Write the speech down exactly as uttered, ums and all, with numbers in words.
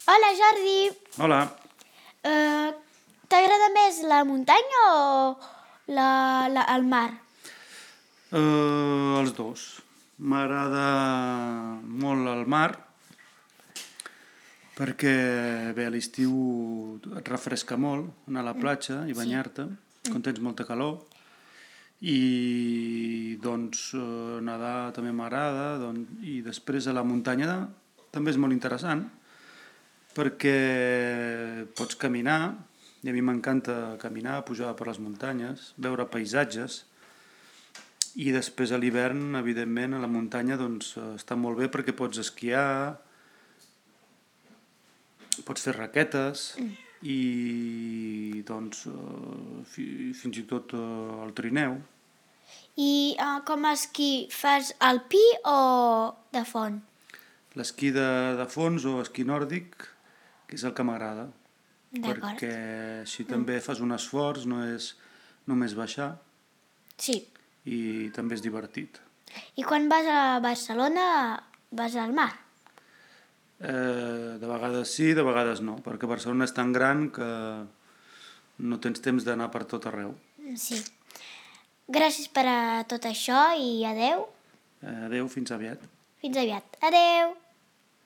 Hola, Jordi. Hola. Uh, T'agrada més la muntanya o la, la, el mar? Uh, els dos. M'agrada molt el mar perquè bé, a l'estiu et refresca molt anar a la platja i banyar-te quan tens molta calor i doncs uh, nedar també m'agrada doncs, i després a la muntanya també és molt interessant perquè pots caminar i a mi m'encanta caminar, pujar per les muntanyes, veure paisatges i després a l'hivern, evidentment, a la muntanya doncs, està molt bé perquè pots esquiar, pots fer raquetes i doncs, fins i tot el trineu. I uh, com a esquí, fas alpí o de font? L'esquí de, de fons o esquí nòrdic, que és el que m'agrada, D'acord. perquè així també fas un esforç, no és només baixar. Sí. I també és divertit. I quan vas a Barcelona vas al mar? Eh, de vegades sí, de vegades no, perquè Barcelona és tan gran que no tens temps d'anar per tot arreu. Sí. Gràcies per a tot això i adeu. Eh, adeu, fins aviat. Fins aviat. Adeu.